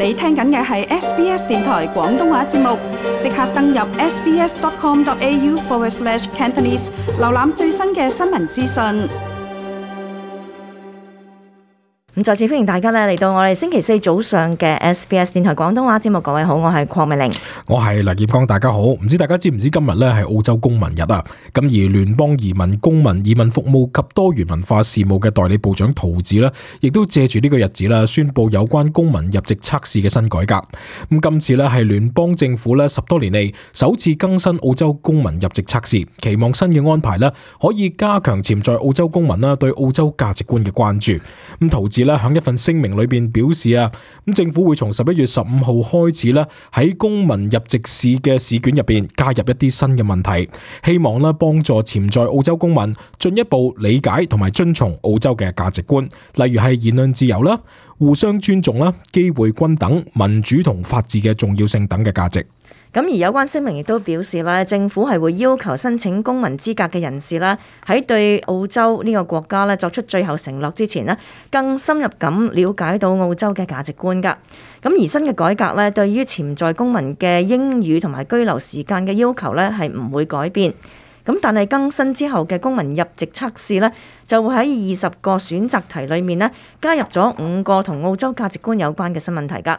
你聽緊嘅係 SBS 電台廣東話節目，即刻登入 sbs.com.au/Cantonese 瀏覽最新嘅新聞資訊。咁再次歡迎大家嚟到我哋星期四早上嘅 SBS 電台廣東話節目。各位好，我係鄺美玲，我係黎業剛，大家好。唔知大家知唔知今日咧係澳洲公民日啊？咁而聯邦移民公民移民服務及多元文化事務嘅代理部長陶子呢，亦都借住呢個日子啦，宣布有關公民入籍測試嘅新改革。咁今次咧係聯邦政府咧10多年嚟首次更新澳洲公民入籍測試，期望新嘅安排咧可以加強潛在澳洲公民啦對澳洲價值觀嘅關注。咁陶子咧喺一份聲明裏邊表示啊，咁政府會從11月15號開始咧喺公民入籍試嘅試卷入邊加入一啲新嘅問題，希望咧幫助潛在澳洲公民進一步理解同埋遵從澳洲嘅價值觀，例如係言論自由啦、互相尊重啦、機會均等、民主同法治嘅重要性等嘅價值。咁而有關聲明亦都表示咧，政府係會要求申請公民資格嘅人士啦，喺對澳洲呢個國家咧作出最後承諾之前咧，更深入咁了解到澳洲嘅價值觀㗎。咁而新嘅改革咧，對於潛在公民嘅英語同埋居留時間嘅要求咧，係唔會改變。咁但係更新之後嘅公民入籍測試咧，就會喺20個選擇題裏面咧，加入咗5個同澳洲價值觀有關嘅新問題㗎。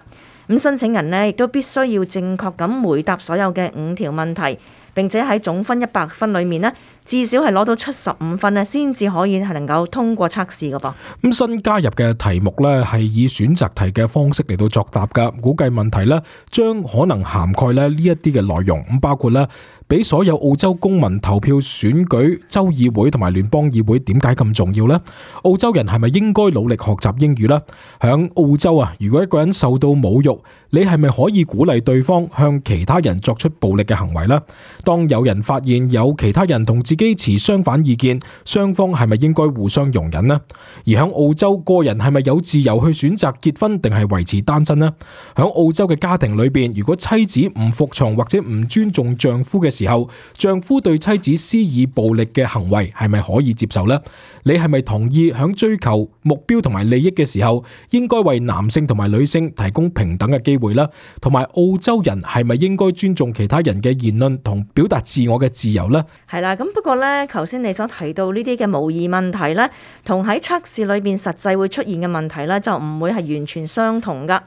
咁申請人呢亦都必須要正確咁回答所有嘅5條問題，並且喺總分100分裏面呢，至少係攞到75分呢，先至可以係能夠通過測試㗎噃。咁新加入嘅題目呢，係以選擇題嘅方式嚟到作答㗎，估計問題呢，將可能涵蓋呢一啲嘅內容，咁包括呢，俾所有澳洲公民投票選舉州議會同埋聯邦議會點解咁重要呢？澳洲人係咪應該努力學習英語呢？響澳洲啊，如果一個人受到侮辱，你係咪可以鼓勵對方向其他人作出暴力嘅行為呢？當有人發現有其他人同自己持相反意見，雙方係咪應該互相容忍呢？而響澳洲，個人係咪有自由去選擇結婚定係維持單身呢？響澳洲嘅家庭裏邊，如果妻子唔服從或者唔尊重丈夫嘅時候，丈夫對妻子施以暴力嘅行為係咪可以接受呢？你係咪同意響追求目標同埋利益嘅時候，應該為男性同埋女性提供平等嘅機會呢？同埋澳洲人係咪應該尊重其他人嘅言論同表達自我嘅自由呢？係啦，咁不過呢，頭先你所提到呢啲嘅模擬問題呢，同喺測試裏邊實際會出現嘅問題呢，就唔會係完全相同噶。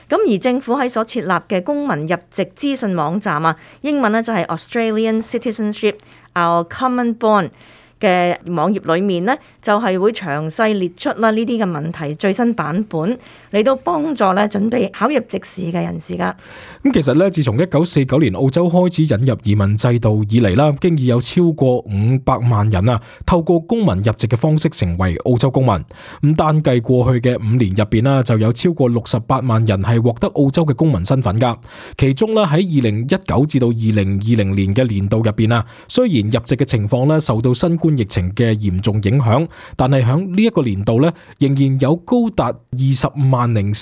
咁而政府喺所設立嘅公民入籍資訊網站啊，英文呢就係 Australian Citizenship Our Common Bond 嘅網頁裏面呢，就係會詳細列出啦呢啲嘅問題最新版本，嚟到幫助咧準備考入籍試嘅人士噶。咁其實咧，自從1949年澳洲開始引入移民制度以嚟啦，經已有超過500萬人啊，透過公民入籍嘅方式成為澳洲公民。咁單計過去嘅5年入邊啦，就有超過68萬人係獲得澳洲嘅公民身份噶。其中咧喺2019至到2020年嘅年度入邊啊，雖然入籍嘅情況咧受到新冠疫情嘅嚴重影響，但係響呢一個年度咧，仍然有高達20.4萬人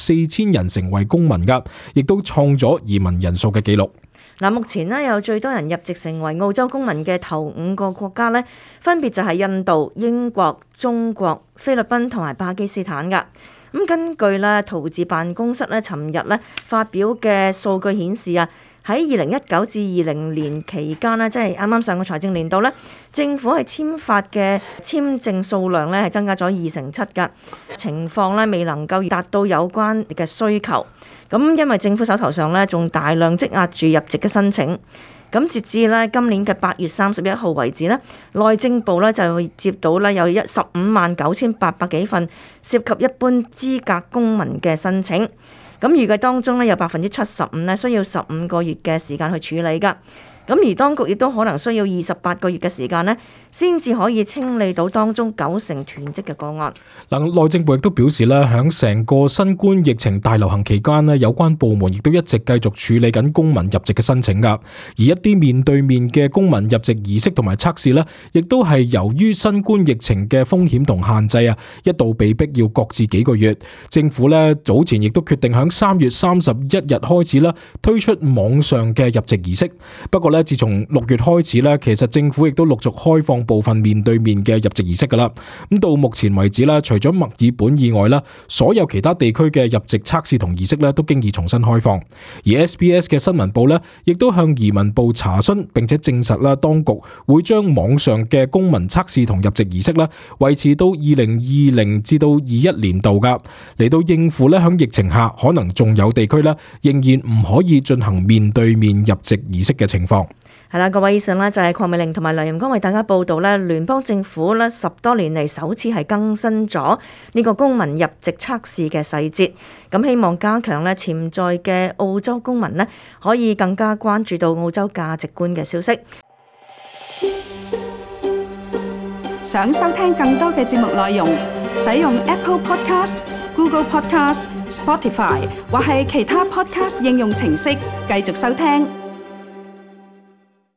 成為公民噶，亦都創咗移民人數嘅紀錄。嗱，目前呢，有最多人入籍成為澳洲公民嘅頭5個國家呢，分別就係印度、英國、中國、菲律賓同埋巴基斯坦噶。咁根據咧圖治辦公室咧尋日咧發表嘅數據顯示啊，喺2019至20年期間呢，即係啱啱上個財政年度咧，政府係簽發嘅簽證數量咧係增加咗2.7%噶，情況咧未能夠達到有關嘅需求。咁因為政府手頭上咧仲大量積壓住入籍嘅申請。咁截至咧今年嘅8月31號為止咧，內政部咧就會接到咧有159,800幾份涉及一般資格公民嘅申請。咁預計當中咧有75%咧需要15個月嘅時間去處理㗎。咁而當局亦都可能需要28個月嘅時間呢，先至可以清理到當中90%囤積嘅個案。內政部亦都表示咧，響成個新冠疫情大流行期間咧，有關部門亦都一直繼續處理緊公民入籍嘅申請噶。而一啲面對面嘅公民入籍儀式同埋測試咧，亦都係由於新冠疫情嘅風險同限制啊，一度被逼要擱置幾個月。政府咧早前亦都決定響3月31日開始啦，推出網上嘅入籍儀式。不過咧，自從6月開始咧，其實政府亦都陸續開放部分面對面嘅入籍儀式噶啦。咁到目前為止咧，除咗墨爾本以外咧，所有其他地區嘅入籍測試同儀式咧，都經已重新開放。而 SBS 嘅新聞部咧，亦都向移民部查詢，並且證實啦，當局會將網上嘅公民測試同入籍儀式咧，維持到2020至到21年度噶，嚟到應付咧響疫情下可能仲有地區咧仍然唔可以進行面對面入籍儀式嘅情況。係啦，各位，以上呢就係鄺美玲同埋梁任光為大家報道咧，聯邦政府咧10多年嚟首次係更新咗呢個公民入籍測試嘅細節，咁希望加強咧潛在嘅澳洲公民咧可以更加關注到澳洲價值觀嘅消息。想收聽更多嘅節目內容，使用 Apple Podcast、Google Podcast、Spotify 或係其他 Podcast 應用程式繼續收聽。